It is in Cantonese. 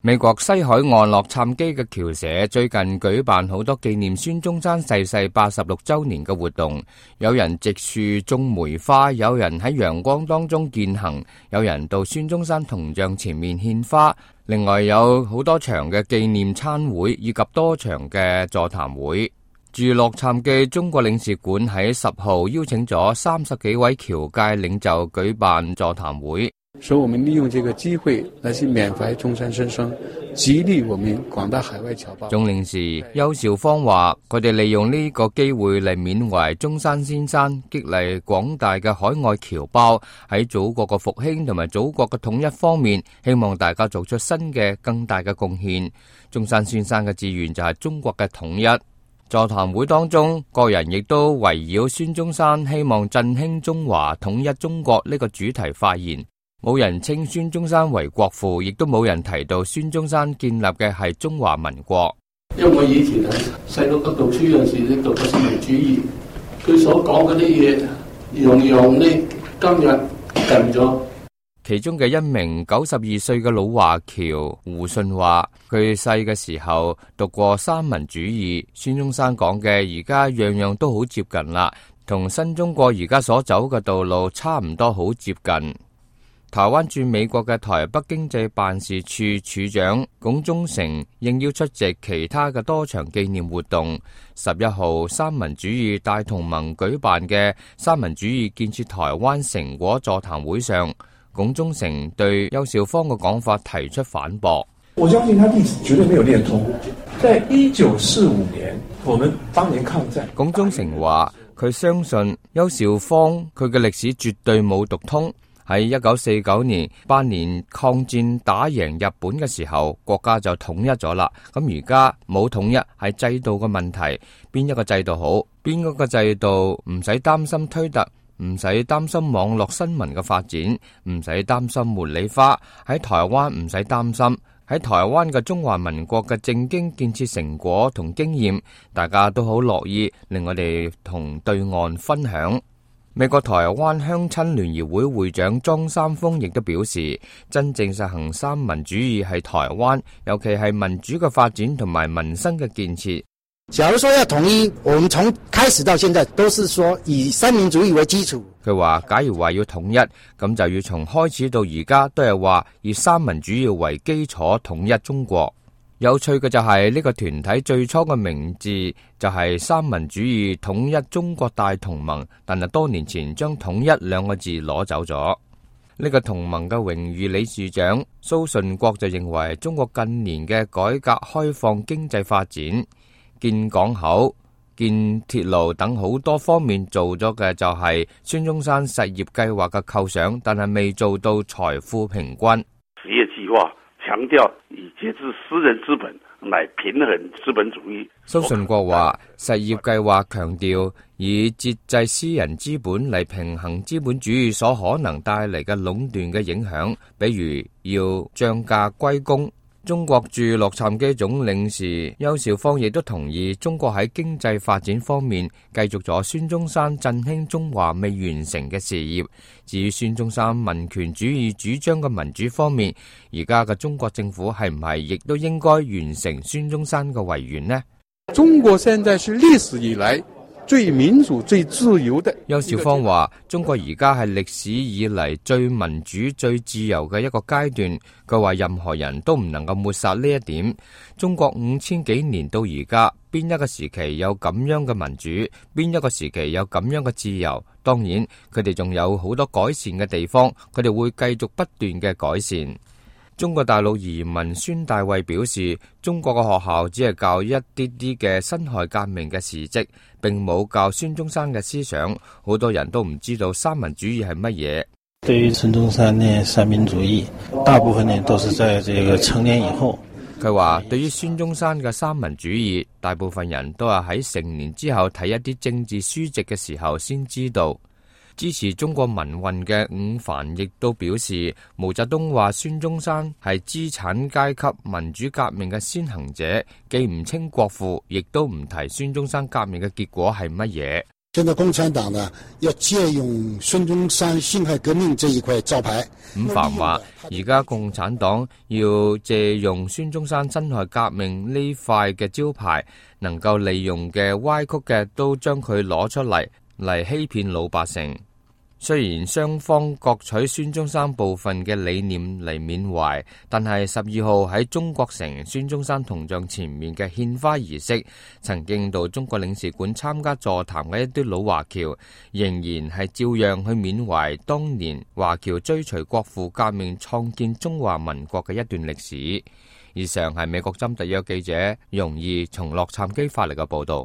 美國西海岸洛杉磯嘅僑社最近舉辦好多紀念孫中山逝世86週年嘅活動，有人植樹種梅花，有人喺陽光當中健行，有人到孫中山銅像前面獻花，另外有好多場嘅紀念餐會以及多場嘅座談會。駐洛杉磯中國領事館喺10號邀請咗30幾位僑界領袖舉辦座談會。所以我們利用這個機會來去緬懷中山先生，激勵我們廣大海外僑胞。總領事邱兆芳話，佢哋利用呢個機會嚟緬懷中山先生，激勵廣大嘅海外僑胞喺祖國嘅復興同埋祖國嘅統一方面，希望大家做出新嘅更大嘅貢獻。中山先生嘅志願就係中國嘅統一。座談會當中，個人亦都圍繞孫中山希望振興中華、統一中國呢個主題發言。冇人稱孫中山為國父，亦都冇人提到孫中山建立嘅係中華民國。因為我以前喺細路讀書嗰陣時咧，讀過新民主義，佢所講嗰啲嘢，樣樣呢今日近咗。其中嘅一名92歲嘅老華僑胡信話，佢細嘅時候讀過三民主義，孫中山講嘅而家樣樣都好接近啦，同新中國而家所走嘅道路差唔多，好接近。台灣駐美國嘅台北經濟辦事處處長龔忠成應邀出席其他嘅多場紀念活動。11號三民主義大同盟舉辦嘅三民主義建設台灣成果座談會上，龔忠成對邱兆芳嘅講法提出反駁。我相信他歷史絕對沒有練通。在1945年，我們當年抗戰。龔忠成話，佢相信邱兆芳佢嘅歷史絕對冇讀通。喺1949年8年抗戰打贏日本嘅時候，國家就統一咗啦。咁而家冇統一係制度嘅問題，邊一個制度好，邊一個制度唔使擔心推特，唔使擔心網絡新聞嘅發展，唔使擔心茉莉花。喺台灣唔使擔心，喺台灣嘅中華民國嘅政經建設成果同經驗，大家都好樂意令我哋同對岸分享。美國台灣鄉親聯誼會會長莊三豐亦都表示，真正實行三民主義係台灣，尤其係民主嘅發展同埋民生嘅建設。假如說要統一，我們從開始到現在都是說以三民主義為基礎。佢話，假如話要統一，咁就要從開始到而家都係話以三民主義為基礎統一中國。有趣嘅就係呢個團體最初嘅名字就係三民主義統一中國大同盟，但係多年前將統一兩個字攞走咗。呢個同盟嘅榮譽理事長蘇順國就認為，中國近年嘅改革開放經濟發展，建港口、建鐵路等好多方面做咗嘅就係孫中山實業計劃嘅構想，但係未做到財富平均。實業計劃強調以節制私人資本來平衡資本主義。蘇順國話，實業計劃強調以節制私人資本嚟平衡資本主義所可能帶嚟嘅壟斷嘅影響，比如要漲價歸公。中國駐洛杉磯總領事邱兆芳亦都同意，中國喺經濟發展方面繼續咗孫中山振興中華未完成嘅事業。至於孫中山民權主義主張嘅民主方面，而家嘅中國政府係唔係亦都應該完成孫中山嘅遺願呢？中國現在是歷史以來最民主、最自由的。邱兆芳話，中國而家係歷史以嚟最民主、最自由嘅一個階段。佢話任何人都唔能夠抹殺呢一點。中國5000幾年到而家，邊一個時期有咁樣嘅民主，邊一個時期有咁樣嘅自由？當然，佢哋仲有好多改善嘅地方，佢哋會繼續不斷嘅改善。中國大陸移民孫大衛表示，中國嘅學校只係教一啲啲嘅辛亥革命嘅事蹟，並冇教孫中山嘅思想。好多人都唔知道三民主義係乜嘢。對於孫中山呢三民主義，大部分呢都是在這個成年以後。佢話，對於孫中山嘅三民主義，大部分人都係喺成年之後睇一啲政治書籍嘅時候先知道。支持中國民運嘅伍凡亦都表示，毛澤東話孫中山係資產階級民主革命嘅先行者，既唔稱國父，亦都唔提孫中山革命嘅結果係乜嘢。現在共產黨呢要借用孫中山辛亥革命這一塊招牌。伍凡話：而家共產黨要借用孫中山辛亥革命呢塊嘅招牌，能夠利用嘅歪曲嘅都將佢攞出嚟欺騙老百姓。雖然雙方各取孫中山部分嘅理念嚟緬懷，但係12號喺中國城孫中山銅像前面嘅獻花儀式，曾經到中國領事館參加座談嘅一啲老華僑，仍然係照樣去緬懷當年華僑追隨國父革命創建中華民國嘅一段歷史。以上係美國針特約記者容義從洛杉磯發嚟嘅報道。